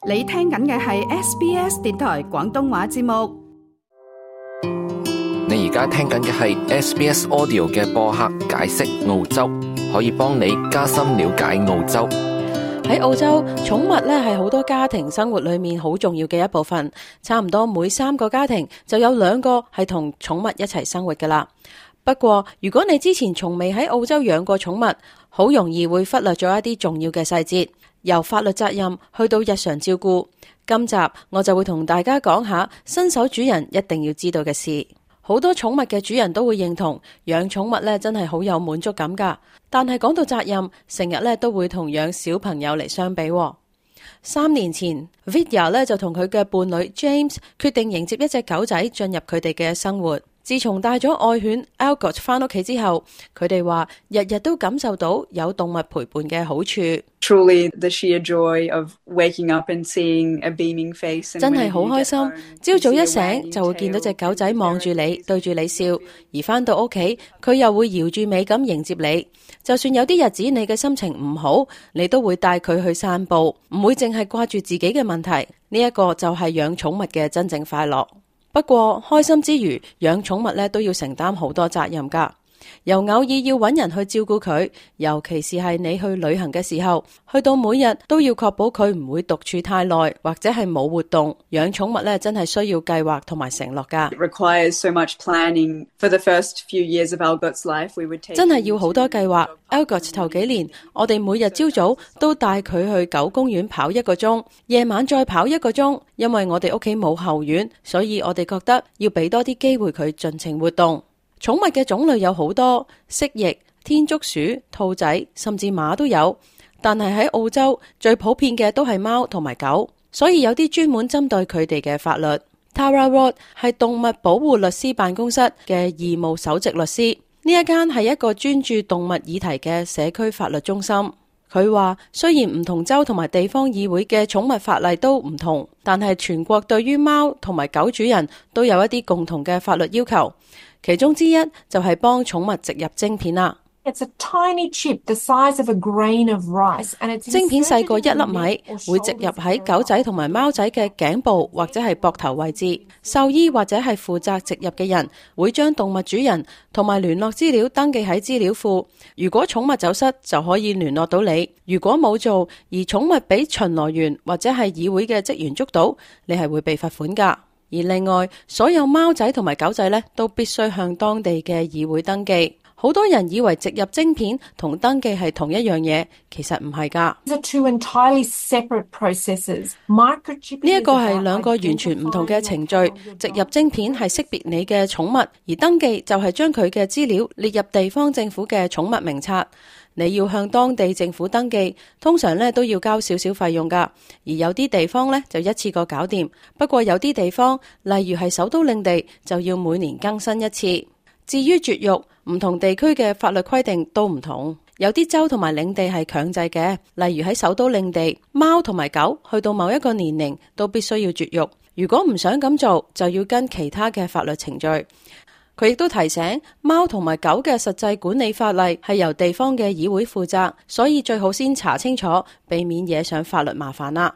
你聽緊嘅係 SBS 電台廣東話節目。你而家聽緊嘅係 SBS Audio 嘅播客解釋澳洲，可以幫你加深了解澳洲。喺澳洲，寵物咧係好多家庭生活裏面好重要嘅一部分，差唔多每3個家庭就有2個係同寵物一齊生活噶啦。不過，如果你之前從未喺澳洲養過寵物，好容易會忽略咗一啲重要嘅細節，由法律責任去到日常照顧。今集我就會同大家講下新手主人一定要知道嘅事。好多寵物嘅主人都會認同養寵物咧真係好有滿足感噶，但係講到責任，成日咧都會同養小朋友嚟相比。3年前 Vidya 咧就同佢嘅伴侶 James 決定迎接一隻狗仔進入佢哋嘅生活。自從帶咗愛犬 Algot 翻屋企之後，佢哋話日日都感受到有動物陪伴嘅好處。Truly the sheer joy of waking up and seeing a beaming face。真係好開心，朝早一醒就會見到隻狗仔望住你，對住你笑，而翻到屋企佢又會搖住尾咁迎接你。就算有啲日子你嘅心情唔好，你都會帶佢去散步，唔會淨係掛住自己嘅問題。呢一個就係養寵物嘅真正快樂。不過開心之餘，養寵物咧都要承擔好多責任噶。由偶爾要揾人去照顧佢，尤其是係你去旅行嘅時候，去到每日都要確保佢唔會獨處太耐，或者係冇活動。養寵物咧真係需要計劃同埋承諾噶。It requires so much planning. For the first few years of Algot's life, we would take 真係要好多計劃。Algot 頭幾年，我哋每日朝早都帶佢去狗公園跑1個鐘，夜晚再跑1個鐘。因為我哋屋企冇後院，所以我哋覺得要俾多啲機會佢盡情活動。寵物嘅種類有好多，蜥蜴、天竺鼠、兔仔，甚至馬都有。但係喺澳洲最普遍嘅都係貓同埋狗，所以有啲專門針對佢哋嘅法律。Tara Ward 係動物保護律師辦公室嘅義務首席律師，呢一間係一個專注動物議題嘅社區法律中心。佢話雖然唔同州同埋地方議會嘅寵物法例都唔同，但係全國對於貓同埋狗主人都有一啲共同嘅法律要求。其中之一就係幫寵物植入晶片啦。It's a tiny chip the size of a grain of rice, and it's 晶片細過1粒米，會植入喺狗仔同埋貓仔嘅頸部或者係膊頭位置。獸醫或者係負責植入嘅人會將動物主人同埋聯絡資料登記喺資料庫。如果寵物走失，就可以聯絡到你。如果冇做，而寵物俾巡邏員或者係議會嘅職員捉到，你係會被罰款㗎。而另外，所有貓仔同埋狗仔呢，都必須向當地嘅議會登記。好多人以為植入晶片同登記係同一樣嘢，其實唔係㗎。These are two entirely separate processes. Microchipping 呢一個係2個完全唔同嘅程序。植入晶片係識別你嘅寵物，而登記就係將佢嘅資料列入地方政府嘅寵物名冊。你要向當地政府登記，通常咧都要交少少費用㗎，而有啲地方咧就一次過搞掂。不過有啲地方，例如係首都領地，就要每年更新一次。至於絕育，唔同地區嘅法律規定都唔同，有啲州同埋領地係強制嘅，例如喺首都領地，貓同埋狗去到某一個年齡都必須要絕育。如果唔想咁做，就要跟其他嘅法律程序。佢亦都提醒，貓同埋狗嘅實際管理法例係由地方嘅議會負責，所以最好先查清楚，避免惹上法律麻煩啦。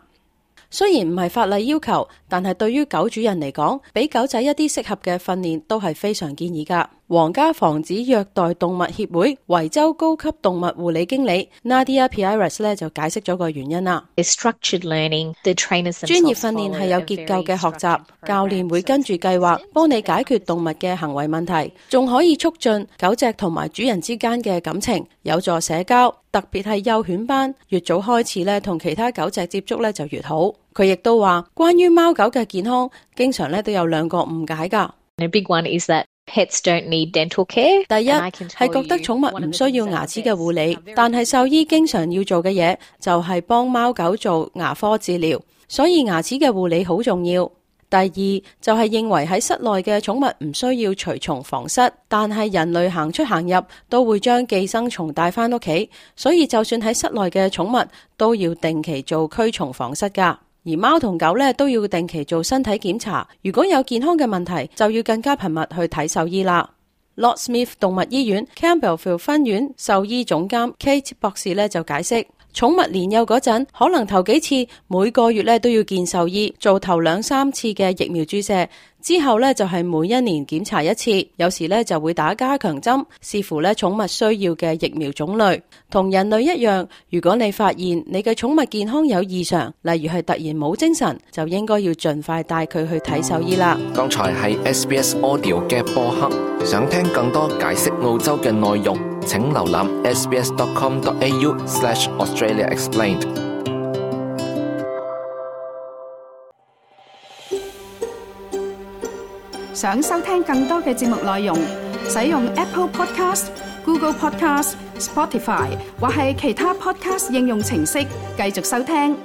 雖然唔係法例要求，但係對於狗主人嚟講，俾狗仔一啲適合嘅訓練都係非常建議㗎。皇家防止虐待動物協會維州高級動物護理經理 Nadia Pires 咧就解釋咗個原因啦。Structured learning, the trainers 專業訓練係有結構嘅學習，教練會跟住計劃幫你解決動物嘅行為問題，仲可以促進狗隻同埋主人之間嘅感情，有助社交。特別係幼犬班，越早開始咧同其他狗隻接觸咧就越好。佢亦都話，關於貓狗嘅健康，經常咧都有2個誤解㗎。A big one is that pets don't need dental care. 第一係覺得寵物唔需要牙齒嘅護理，但係獸醫經常要做嘅嘢就係幫貓狗做牙科治療，所以牙齒嘅護理好重要。第二就係認為喺室內嘅寵物唔需要除蟲防蝨，但係人類行出行入都會將寄生蟲帶返屋企，所以就算喺室內嘅寵物都要定期做驅蟲防蝨㗎。而貓同狗咧都要定期做身體檢查，如果有健康嘅問題，就要更加頻密去睇獸醫啦。Lord Smith 動物醫院 Campbellfield 分院獸醫總監 Kate 博士咧就解釋，寵物年幼嗰陣，可能頭幾次每個月咧都要見獸醫，做頭2-3次嘅疫苗注射，之後咧就係每1年檢查一次，有時咧就會打加強針，視乎咧寵物需要嘅疫苗種類。同人類一樣，如果你發現你嘅寵物健康有異常，例如係突然冇精神，就應該要盡快帶佢去睇獸醫啦。剛才係 SBS Audio 嘅播客，想聽更多解釋澳洲嘅內容，請瀏覽 sbs.com.au/Australia Explained。想收聽更多嘅節目內容，使用 Apple Podcast、Google Podcast、Spotify 或係其他 Podcast 應用程式繼續收聽。